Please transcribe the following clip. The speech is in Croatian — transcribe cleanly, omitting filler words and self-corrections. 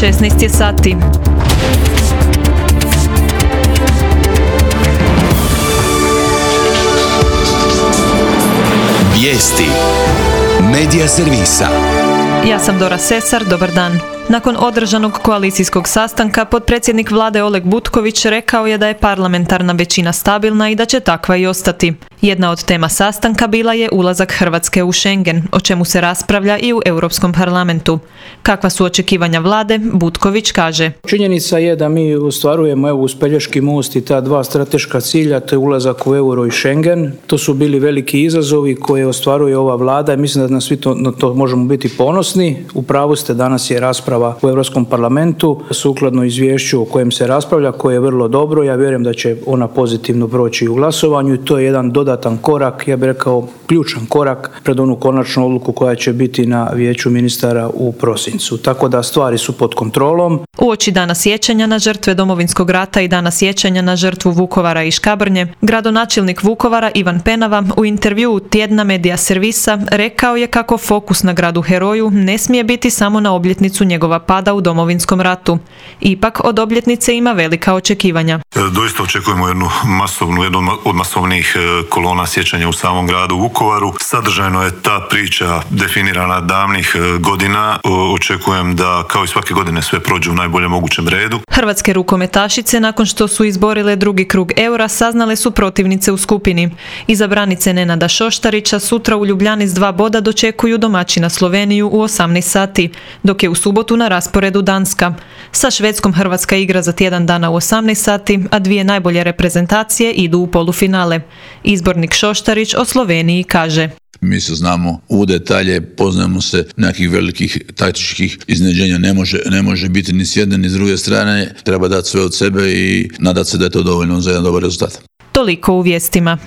16 je sati. Vijesti Medija servisa. Ja sam Dora Sesar, dobar dan. Nakon održanog koalicijskog sastanka, potpredsjednik vlade Oleg Butković rekao je da je parlamentarna većina stabilna i da će takva i ostati. Jedna od tema sastanka bila je ulazak Hrvatske u Schengen, o čemu se raspravlja i u Europskom parlamentu. Kakva su očekivanja vlade, Butković kaže. Činjenica je da mi ostvarujemo uz Pelješki most i ta dva strateška cilja, to je ulazak u euro i Schengen. To su bili veliki izazovi koje ostvaruje ova vlada i mislim da na svi na to možemo biti ponosni. U pravu ste, danas je rasprava u Europskom parlamentu sukladno izvješću o kojem se raspravlja, koje je vrlo dobro. Ja vjerujem da će ona pozitivno proći u glasovanju i to je jedan dodatan korak, ja bih rekao ključan korak pred onu konačnu odluku koja će biti na vijeću ministara u prosincu. Tako da stvari su pod kontrolom. Uoči dana sjećanja na žrtve Domovinskog rata i dana sjećanja na žrtvu Vukovara i Škabrnje, gradonačelnik Vukovara Ivan Penava u intervjuu tjedna Medija servisa rekao je kako fokus na gradu heroju ne smije biti samo na obljetnicu njegova pada u Domovinskom ratu. Ipak od obljetnice ima velika očekivanja. Doista očekujemo jednu od masovnijih kolona sjećanja u samom gradu Vukovaru. Sadržajno je ta priča definirana davnih godina. Očekujem da kao i svake godine sve prođe u najboljem mogućem redu. Hrvatske rukometašice nakon što su izborile drugi krug eura saznale su protivnice u skupini. Izabranice Nenada Šoštarića sutra u Ljubljani s 2 boda dočekuju domaćina Sloveniju u 18 sati, dok je u subotu na rasporedu Danska. Sa Švedskom Hrvatska igra za tjedan dana u 18 sati, a 2 najbolje reprezentacije idu u polufinale. Izbornik Šoštarić o Sloveniji kaže. Mi se znamo u detalje, poznajemo se, nekih velikih taktičkih iznenađenja ne može biti ni s jedne ni s druge strane. Treba dati sve od sebe i nadati se da je to dovoljno za jedan dobar rezultat. Toliko u vijestima.